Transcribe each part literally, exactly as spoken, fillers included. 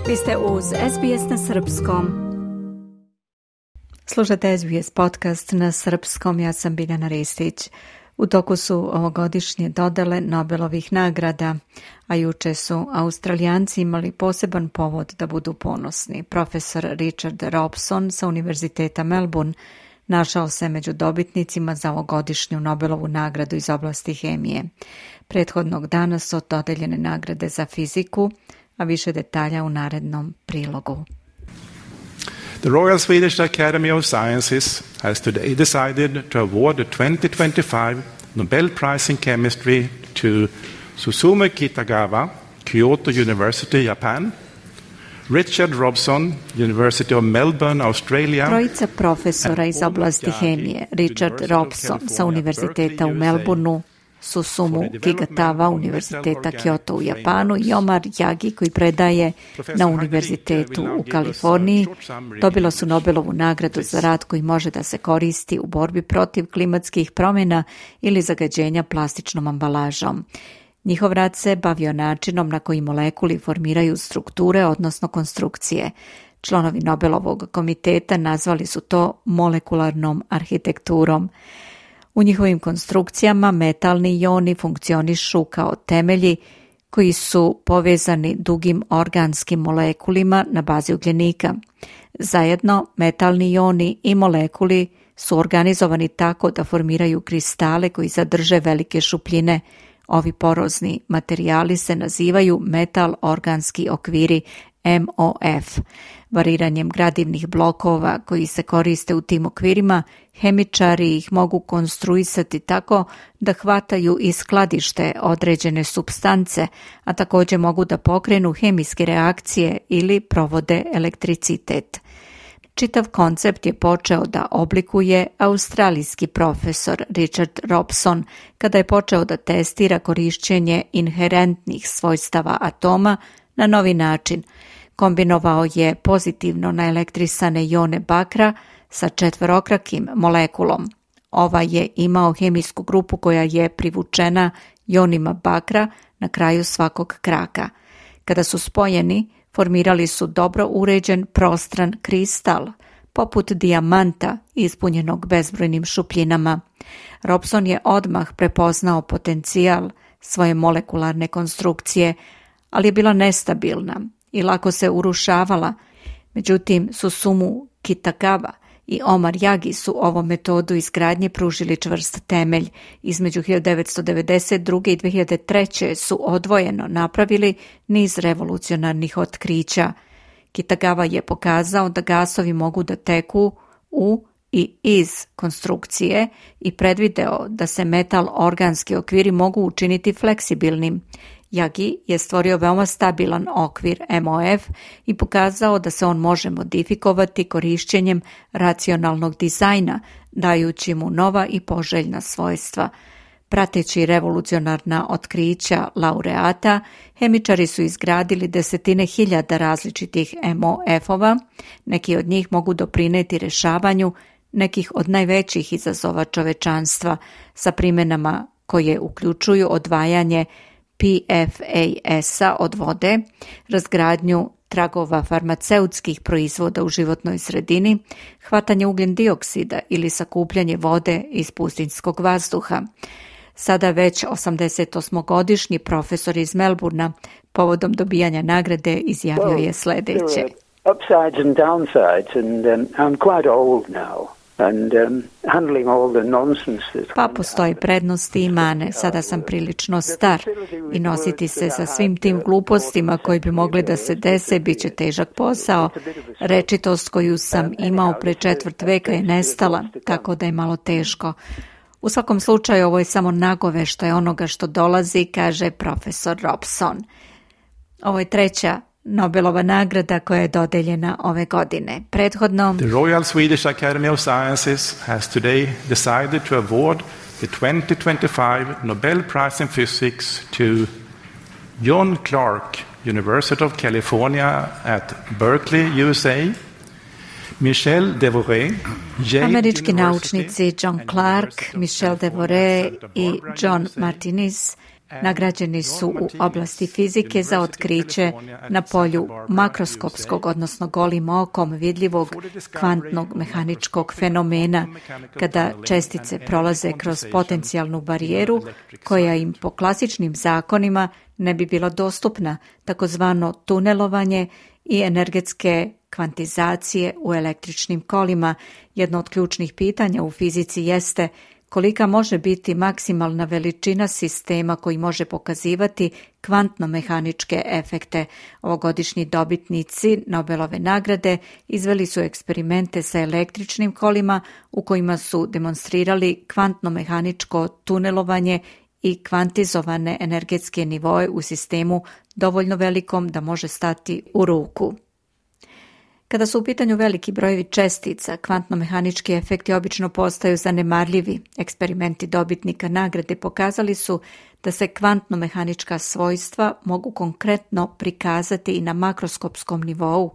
Vi ste uz S B S na srpskom. Slušate S B S podcast na srpskom, ja sam Biljana Ristić. U toku su ovogodišnje dodele Nobelovih nagrada, a juče su Australijanci imali poseban povod da budu ponosni. Profesor Richard Robson sa Univerziteta Melbourne našao se među dobitnicima za ovogodišnju Nobelovu nagradu iz oblasti hemije. Prethodnog dana su dodeljene nagrade za fiziku, a više detalja u narednom prilogu. The Royal Swedish Academy of Sciences has today decided to award the twenty twenty-five Nobel Prize in Chemistry to Susumu Kitagawa, Kyoto University, Japan, Richard Robson, University of Melbourne, Australia. Trojica profesora iz oblasti hemije, Richard Robson sa Univerziteta u Melbourneu, Susumu Kitagawa, Univerziteta Kyoto u Japanu i Omar Yagi koji predaje na Univerzitetu u Kaliforniji, dobila su Nobelovu nagradu za rad koji može da se koristi u borbi protiv klimatskih promjena ili zagađenja plastičnom ambalažom. Njihov rad se bavio načinom na koji molekuli formiraju strukture, odnosno konstrukcije. Članovi Nobelovog komiteta nazvali su to molekularnom arhitekturom. U njihovim konstrukcijama metalni ioni funkcionišu kao temelji koji su povezani dugim organskim molekulima na bazi ugljenika. Zajedno, metalni ioni i molekuli su organizovani tako da formiraju kristale koji zadrže velike šupljine. Ovi porozni materijali se nazivaju metal organski okviri M O F. Variranjem gradivnih blokova koji se koriste u tim okvirima, hemičari ih mogu konstruisati tako da hvataju i skladište određene supstance, a također mogu da pokrenu hemijske reakcije ili provode elektricitet. Čitav koncept je počeo da oblikuje australijski profesor Richard Robson kada je počeo da testira korišćenje inherentnih svojstava atoma na novi način. Kombinovao je pozitivno naelektrisane ione bakra sa četverokrakim molekulom. Ova je imao hemijsku grupu koja je privučena ionima bakra na kraju svakog kraka. Kada su spojeni, formirali su dobro uređen prostran kristal, poput dijamanta ispunjenog bezbrojnim šupljinama. Robson je odmah prepoznao potencijal svoje molekularne konstrukcije, ali je bila nestabilna i lako se urušavala. Međutim, Susumu Kitagawa i Omar Yagi su ovom metodu izgradnje pružili čvrst temelj. Između hiljadu devetsto devedeset druge. i dve hiljade treće. su odvojeno napravili niz revolucionarnih otkrića. Kitagawa je pokazao da gasovi mogu da teku u i iz konstrukcije i predvideo da se metal organski okviri mogu učiniti fleksibilnim. Yagi je stvorio veoma stabilan okvir M O F i pokazao da se on može modifikovati korišćenjem racionalnog dizajna, dajući mu nova i poželjna svojstva. Prateći revolucionarna otkrića laureata, hemičari su izgradili desetine hiljada različitih M O F-ova, neki od njih mogu doprineti rešavanju nekih od najvećih izazova čovečanstva sa primjenama koje uključuju odvajanje P F A S-a od vode, razgradnju tragova farmaceutskih proizvoda u životnoj sredini, hvatanje ugljen dioksida ili sakupljanje vode iz pustinjskog vazduha. Sada već osamdesetosmogodišnji profesor iz Melbournea povodom dobijanja nagrade izjavio je sljedeće. Upsides and downsides and um, I'm quite old now. And, um, handling all the nonsense that... Pa postoji prednosti i mane. Sada sam prilično star i nositi se sa svim tim glupostima koji bi mogli da se dese bit će težak posao. Rečitost koju sam imao pre četvrt veka je nestala, tako da je malo teško. U svakom slučaju ovo je samo nagoveštaj onoga što dolazi, kaže profesor Robson. Ovo je treća Nobelova nagrada koja je dodeljena ove godine. Prethodno, The Royal Swedish Academy of Sciences has today decided to award the twenty twenty-five Nobel Prize in Physics to John Clark, University of California at Berkeley, U S A, Michel Devoret, američki naučnici John Clark, Michel Devoret i John Martinez Nagrađeni su u oblasti fizike za otkriće na polju makroskopskog, odnosno golim okom vidljivog kvantnog mehaničkog fenomena, kada čestice prolaze kroz potencijalnu barijeru koja im po klasičnim zakonima ne bi bila dostupna, takozvano tunelovanje i energetske kvantizacije u električnim kolima. Jedno od ključnih pitanja u fizici jeste kolika može biti maksimalna veličina sistema koji može pokazivati kvantno-mehaničke efekte. Ovogodišnji dobitnici Nobelove nagrade izveli su eksperimente sa električnim kolima u kojima su demonstrirali kvantno-mehaničko tunelovanje i kvantizovane energetske nivoe u sistemu dovoljno velikom da može stati u ruku. Kada su u pitanju veliki brojevi čestica, kvantno-mehanički efekti obično postaju zanemarljivi. Eksperimenti dobitnika nagrade pokazali su da se kvantno-mehanička svojstva mogu konkretno prikazati i na makroskopskom nivou.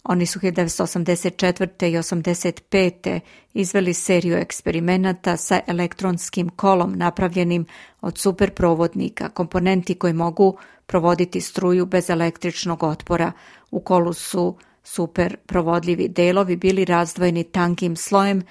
Oni su hiljadu devetsto osamdeset četvrte i osamdeset pete izveli seriju eksperimenata sa elektronskim kolom napravljenim od superprovodnika, komponenti koji mogu provoditi struju bez električnog otpora. U kolu su super provodljivi delovi bili razdvojeni tankim slojem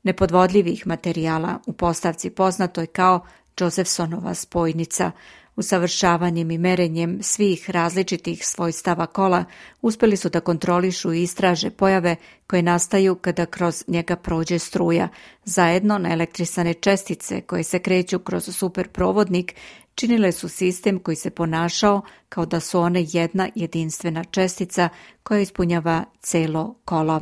nepodvodljivih materijala u postavci poznatoj kao Josephsonova spojnica. Usavršavanjem i merenjem svih različitih svojstava kola uspjeli su da kontrolišu i istraže pojave koje nastaju kada kroz njega prođe struja. Zajedno naelektrisane čestice koje se kreću kroz superprovodnik činile su sistem koji se ponašao kao da su one jedna jedinstvena čestica koja ispunjava celo kolo.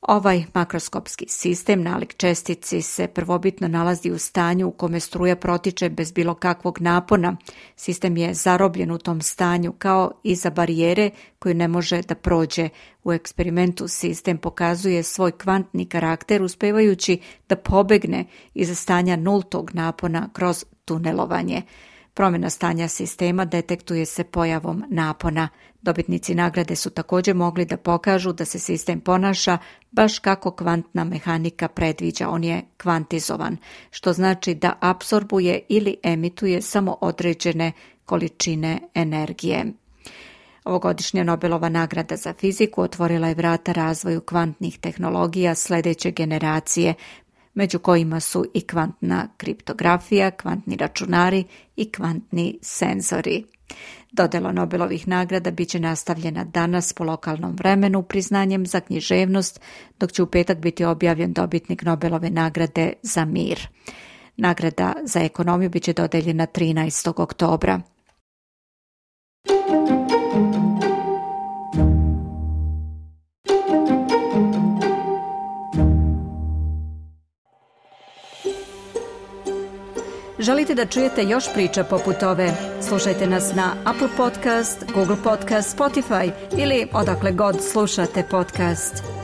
Ovaj makroskopski sistem nalik čestici se prvobitno nalazi u stanju u kome struja protiče bez bilo kakvog napona. Sistem je zarobljen u tom stanju kao iza barijere koju ne može da prođe. U eksperimentu sistem pokazuje svoj kvantni karakter uspevajući da pobegne iza stanja nultog napona kroz tunelovanje. Promjena stanja sistema detektuje se pojavom napona. Dobitnici nagrade su također mogli da pokažu da se sistem ponaša baš kako kvantna mehanika predviđa. On je kvantizovan, što znači da apsorbuje ili emituje samo određene količine energije. Ovogodišnja Nobelova nagrada za fiziku otvorila je vrata razvoju kvantnih tehnologija sljedeće generacije, među kojima su i kvantna kriptografija, kvantni računari i kvantni senzori. Dodjela Nobelovih nagrada bit će nastavljena danas po lokalnom vremenu priznanjem za književnost, dok će u petak biti objavljen dobitnik Nobelove nagrade za mir. Nagrada za ekonomiju bit će dodeljena trinaestog oktobra. Želite da čujete još priča poput ove? Slušajte nas na Apple Podcast, Google Podcast, Spotify ili odakle god slušate podcast.